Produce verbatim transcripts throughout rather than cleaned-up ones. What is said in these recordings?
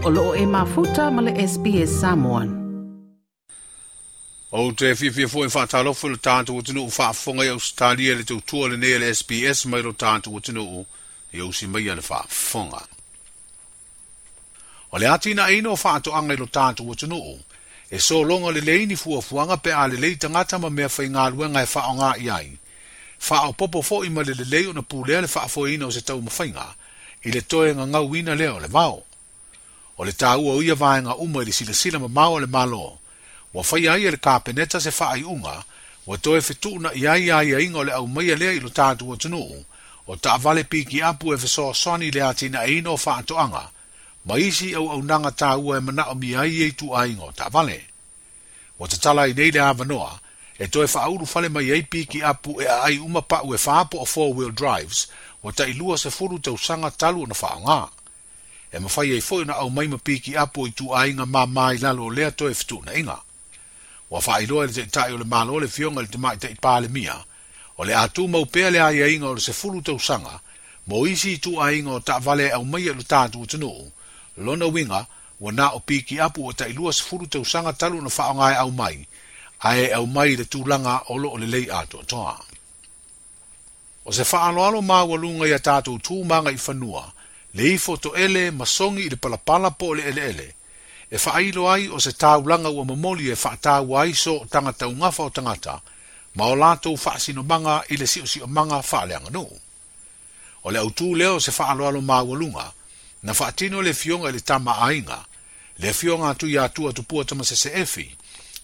O loo e mafuta ma le S B S Samoan. O te fiafia foi whaatalofa le tātou atunuu faafofoga i Ausetalia le tautua lenei a le S B S mai lo tātou atunuu e usi mai le faafofoga. O le atinaeina o faatoaga i lo tātou atunuu, e sologa lelei ni fuafuaga pe a lelei tagata ma mea faigaluega e faaaoga i ai. Faaopopo foi ma le lelei ona pulea le faafoeina o se taumafaiga i le toe gagauina lea o le vao. O le tāua o ia vaega uma i le silasila mamao a le Malo, ua faia ai e le Kapeneta se faaiuga, ua toe fetuuna i ai aiaiga o le aumaia lea i lo tātou atunuu, o taavale pikiapu e fesoasoani i le atinaeina o faatoaga, ma isi auaunaga tāua e manaomia ai e ituaiga o taavale. Ua tatala ai nei le avanoa, e toe faaulufale mai ai pikiapu e aai uma pau e wha po o four-wheel drives, ua tailua sefulu tausaga talu ona faaaoga. E mafai ai foi ona aumai ma pikiapu o ituaiga mamā i lalo o lea toe fetuunaiga. Ua faailoa e le taitai o le Malo le Afioga i le Tamaitai Palemia, o le a tumau pea le aiaiga o le sefulu tausaga, mo isi ituaiga o taavale e aumaia i lo tātou atunuu, lona uiga ua na o pikiapu ua tailua sefulu tausaga talu ona faaaoga e aumai, ae e aumai i le tulaga o loo lelei atoatoa. O se faaaloalo maualuga ia tātou tū maga i fanua, le ifo toele ma sogi i le palapala po o le eleele, e faailo ai o se taulaga ua momoli e faataua ai so tagata ugafa o tagata, ma o latou faasinomaga i le siosiomaga faaleaganuu. O le autū lea o se faaaloalo maualuga, na faatino le Afioga i le Tama a Aiga, le Afioga atu ia Atua Tupua Tamasese Efi,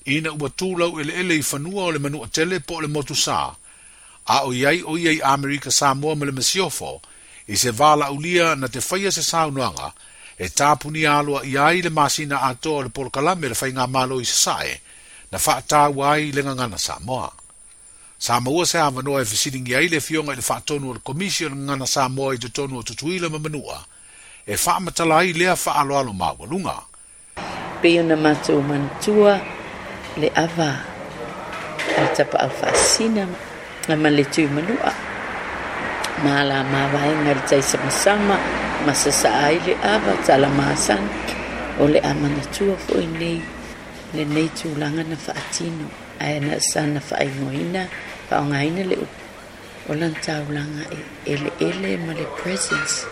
ina ua tulau eleele i fanua o le Manuatele po o le Motu Sa, a o iai o ia i Amerika Samoa ma le Masiofo, i se valaulia na te faia se saunoaga, e tapunia aloa i ai le masina atoa o le polokalame le faigamalo i Sasae, na faataua ai le gagana Samoa. Sa maua se avanoa e fesiligia ai le Afioga i le faatonu o le Komisi o le Gagana Samoa i totonu o Tutuila ma Manua, e faamatala ai lea faaaloalo maualuga. Pei ona matou manatua le ava a le tapaau faasina ma le tui manua. Ma la mavaega le taisamasama ma sasaa ai le ava tala masani. O le amanatua foi nei lenei tulaga na faatino ae na sana faaigoaina faaaogaina le upu o lana taulaga e eleele ma le presence.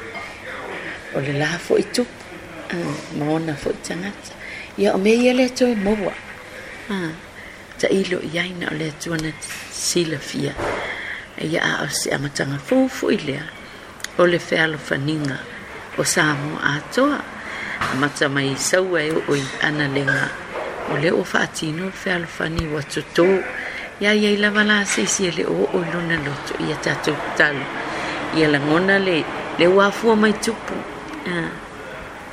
O le la foi tupu ma ona foi tagata. Ia o mea ia le toe maua. Tailo i ai na o le Atua na silafia. Ia a o se amataga fou foi lea o le fealofaniga o Samoa atoa. Amata mai i Saua e oo i Analega. O lea ua faatino le fealofani ua totō. Ia iai lava la se isi e le oo i lona loto ia tatou tatalo. Ia lagona le, le uafua mai tupu.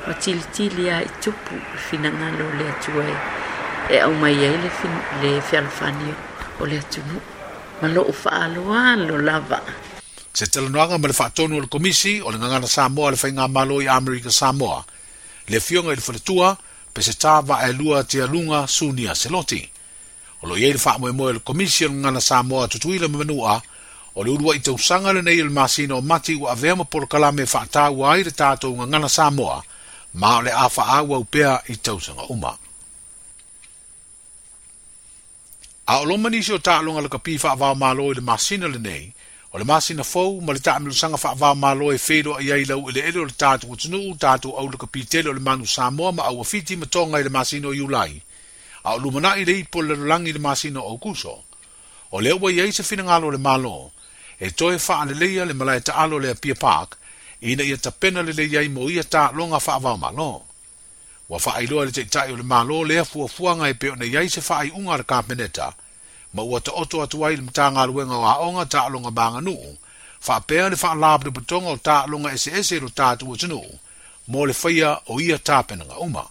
Ua tilitili a i tupu le finagalo o le Atua e, e aumai ai le, fin, le fealofani o le atunuu. Ma loo faaloalo lava. Se talanoaga ma le faatonu o le Komisi o le Gagana Samoa le Faigamalo i Amerika Samoa, le Afioga i le Faletua, Peseta Vaaelua Tialuga Sunia Seloti. O lo iai le faamoemoe o le Komisi o le Gagana Samoa Tutuila ma Manua, o le uluai tausaga lenei o le masina o Mati ua avea ma polokalame e faataua ai le tatou Gagana Samoa, ma o le a faaauau pea i tausaga uma. A o loma nisi o taaloga lakapi faavaomalo i le masina lenei, o le masina fou ma le taamilosaga faavaomalo e feiloai ai lau eleele o le tatou atunuu, tatou au lakapi tele o le Manu Samoa ma Auafiti ma Toga i le masina o Iulai, a o lumanai le ipu o le lalolagi i le masina o Aukuso. O lea ua iai se finagalo o le Malo, e toe faaleleia le malae taalo le Apia Park, ina ia tapena lelei ai mo ia taaloga faavaomalo. Ua faailoa e le taitai o le Malo lea fuafuaga e pei ona iai se faaiuga a le Kapeneta, ma ua taoto atu ai le Matagaluega o Aoga Taaloga ma Aganuu, faapea le faalapotopotoga o taaloga eseese i lo tatou atunuu, mo le faia o ia tapenaga uma.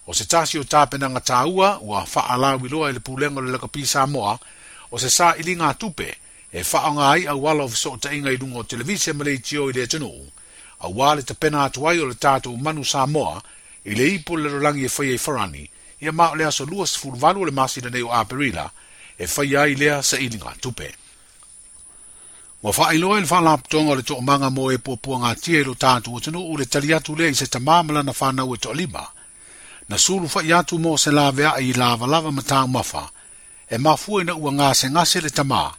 O se tasi o tapenaga tāua ua faalauiloa e le Pulega o le Lakapi Samoa, o se sailiga tupe e faaaoga ai auala o fesootaiga i luga o televise ma leitio i le atunuu, auā le tapena atu ai o le tatou Manu Samoa i le ipu o le lalolagi e faia i Farani, ia ma o le aso luasefuluvalu o le masina nei o Aperila, e faia ai lea sailiga tupe. Ua faailoa i le faalapotopotoga o le toomaga mo e puapuagatia i lo tatou atunuu le tali atu lea i se tamā ma lana fanau e toalima. Na sulu fai atu mo se laveai i lavalava ma taumafa, e mafua ina ua gasegase le tamā,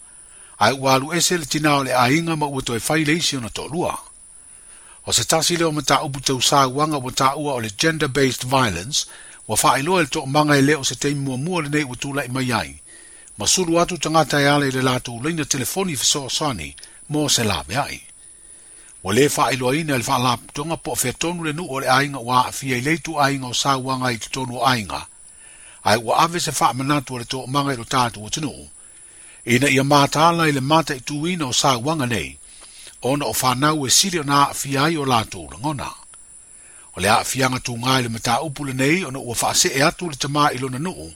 ae ua alu ese le tinā o le aiga ma ua toe fai le isi ona toalua. O se tasi lea o mataupu tausauaga ua taua o le gender-based violence, ua faailoa i le toomaga e le o se taimi muamua lenei ua tulai mai ai, ma sulu atu tagata e ala i le latou laina telefoni fesoasoani mo se laveai. Ua le faailoaina e le faalapotopotoga po o fea tonu le nuu o le aiga ua aafia i le ituaiga o sauaga i totonu o aiga, ae ua ave se faamanatu a le toomaga i lo tatou atunuu, ina ia mataala i le mataituina o sauaga nei, ona o fanau e sili ona aafia ai o latou lagona. O le aafiaga tuga i le mataupu lenei ona ua faasee atu le tamā i lona nuu,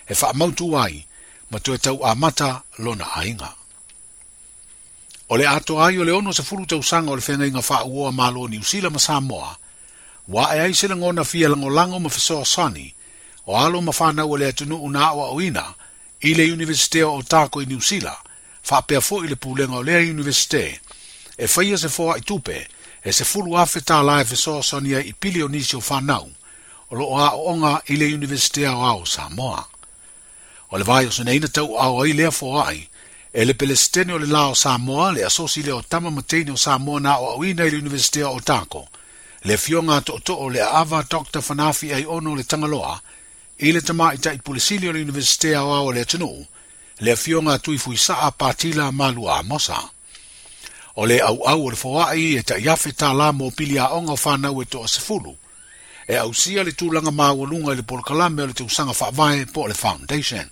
e faamautu ai, ma toe tau amata lona aiga. O le atoa ai o le ono sefulu tausaga o le feagaiga faauoa Malo Niu Sila ma Samoa, ua ae ai se lagona fia lagolago ma fesoasoani, o alo ma fanau o le atunuu na aoaoina i le Iunivesite o Otago i Niu Sila, faapea foi le pulega o lea Iunivesite, e faia se foai tupe, e sefulu afe tālā e fesoasoani ai i pili o nisi o fanau, o loo aooga i le Iunivesite Aoao o Samoa. O le vaiaso nei na tauaao ai lea foai, e le Pelesitene o le la o Samoa, le asosi lea o tama ma teine o Samoa na aoaoina i le Iunivesite o Otago, le afioga a tootoo le aava Doctor Fanafi Aiono le Tagaloa, i le tamaitai pulesili o le Iunivesite Aoao o le atunuu, le afioga a Tuifuisaa Patila Malua Amosa. O le auau o le foai e taiafe tālā mo pili aoga o fanau e toa sefulu, e ausia le tulaga maualuga i le polokalame o le tausaga faavae po o le foundation.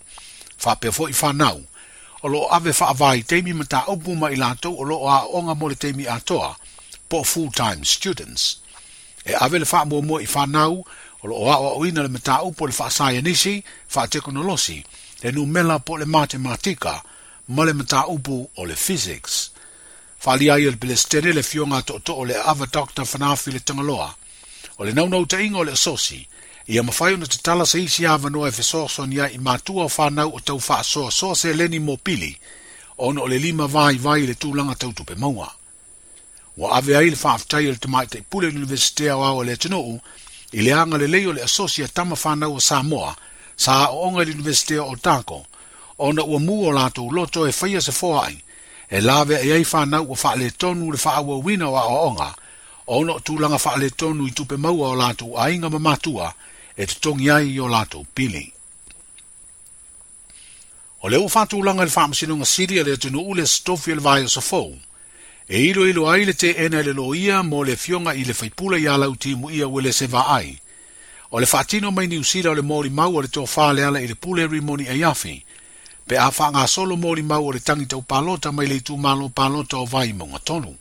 Faapea foi fanau, o loo ave faavaitaimi mataupu ma i latou o loo aooga mo le taimi atoa, po o full-time students. E ave le faamuamua i fanau, o loo aoaoina le mataupu o le faasaienisi, faatekonolosi, le numela po o le matematika, ma le mataupu o le physics. Faaalia ai e le Pelesitene le afioga a tootoo le aava Doctor Fanafi le Tagaloa, o le naunautaiga o le asosi, ia mafai ona tatala se isi avanoa e fesoasoani ai i matua o fanau o tau faasoasoa seleni mo pili, ona o le lima vaivai i le tulaga tau tupe maua. Ua ave ai le faafetai a le tamaitai pule o le Iunivesite Aoao o le atunuu, i le agalelei o le asosi a tama fanau o Samoa, sa aooga i le Iunivesite o Otago, ona ua mu o latou loto e faia se foai, e laveai ai fanau ua faaletonu le faaauauina o aoaoga, ona o tulaga faaletonu i tupe maua o latou aiga ma matua, e totogi ai i o latou pili. O le ua faatulaga i le faamasinoga sili a le atunuu le Aso Tofi o le vaiaso fou, e iloilo ai le teena e le loia mo le afioga i le faipule ia Lautimuia Uelese Vaai. O le faatino mai Niu Sila o le molimau o le tofa le ala i le pule Rimoni Aiafi, pe a faagasolo molimau o le tagi tau palota mai le itumalo palota o Vaimauga tolu.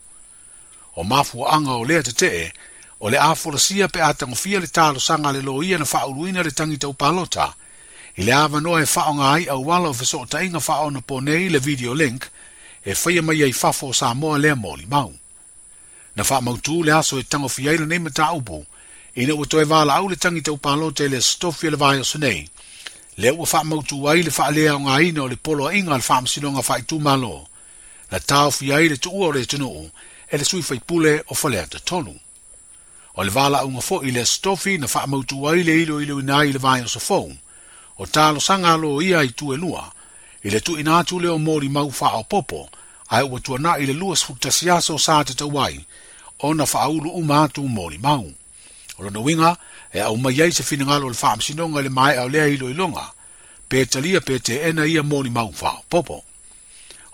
O mafuaaga o lea tetee, o le a folasia pe a tagofia le talosaga a le loia na faauluina le tagi tau palota, i le avanoa e faaaoga ai auala o fesootaiga faaonaponei le video link, e faia mai ai fafo o Samoa lea molimau. Na faamautu le aso e tagofia ai lenei mataupu, ina ua toe valaau le tagi tau palota i le Aso Tofi o le vaiaso nei, lea ua faamautu ai le faaleaogaina o le poloaiga a le faamasinoga faaitumalo, na taofia ai le tuua o le atunuu e le sui faipule o Faleata tolu. O le valaauga foi i le Aso Tofi na faamautu ai le iloiloina ai i le vaiaso fou, o talosaga a loia i tu e lua, i le tuuina atu lea o molimau faaopoopo, ae ua tuanai le luasefulu tasi aso sa tatau ai, ona faaulu uma atu molimau. O lona uiga, e aumai ai se finagalo o le faamasinoga i le maea o lea iloiloga, pe talia pe teena ia molimau faaopoopo.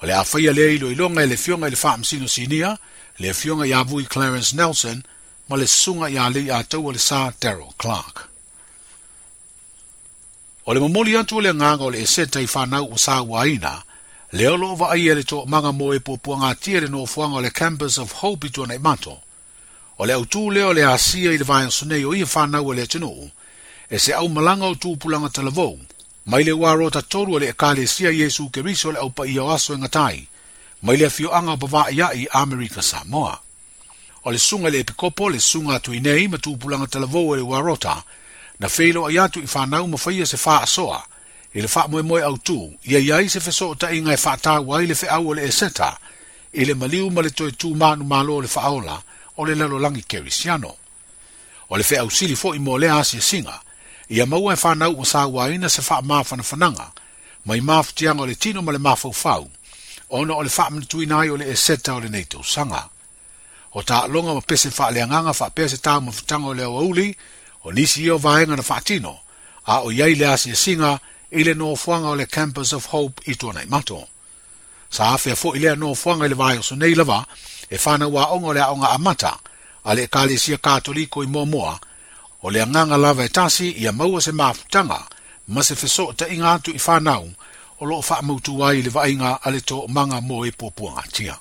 O le a faia lea iloiloga e le afioga i le faamasino sinia, le afioga ia Vui Clarence Nelson, ma le susuga ia Leiataua le Sa Daryl Clark. O le momoli atu o le agaga o le eseta i fanau ua sauaina, lea o loo vaaia e le toomaga mo e puapuagatia le nofoaga o le Campus of Hope i Tuanaimato. O le autū lea o le asia i le vaiaso nei o ia fanau a le atunuu, e se aumalaga o tupulaga talavou, mai le uarota tolu o le ekalesia Iesu Keriso le aupaia o aso e gatai, mai le afioaga o Pavaaiai Amerika Samoa. O le susuga i le epikopo, le susuga a Tuinei ma tupulaga talavou e le uarota, na feiloai atu i fanau ma faia se faasoa, i le faamoemoe autū, ia i ai se fesootaiga e faataua ai le feau o le eseta, I le maliu ma le toe tumanu malo o le faaola o le lalolagi kerisiano. O le feausili fo'i mo lea asiasiga, ia maua e fanau ua sauaina se faamafanafanaga, mai mafutiaga o le tino ma le mafaufau, ona o le faamanatuina ai o le Eseta o lenei tausaga. O taaloga ma pese faaleagaga faapea se taumafataga o le aoauli, o nisi ia o vaega na faatino, a o i ai le asiasiga i le nofoaga o le Campus of Hope i Tuanaimato. Sa afea fo'i lea nofoaga i le vaiaso nei lava e fanau aoga o le aoga amata a le Ekalesia Katoliko i Moamoa, o le agaga lava e tasi ia maua se mafutaga ma se fesootaiga atu i fanau o loo faamautu ai i le vaaiga a le toomaga mo e puapuagatia.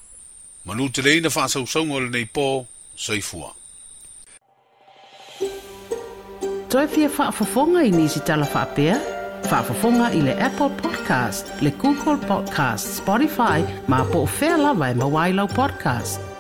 Manuteleina faasausauga o lenei po, soifua. Toe fia faafofoga i nisi tala faapea? Faafofoga i le Apple Podcast, le Google Podcast, Spotify, ma po o fea lava e maua ai lau podcast.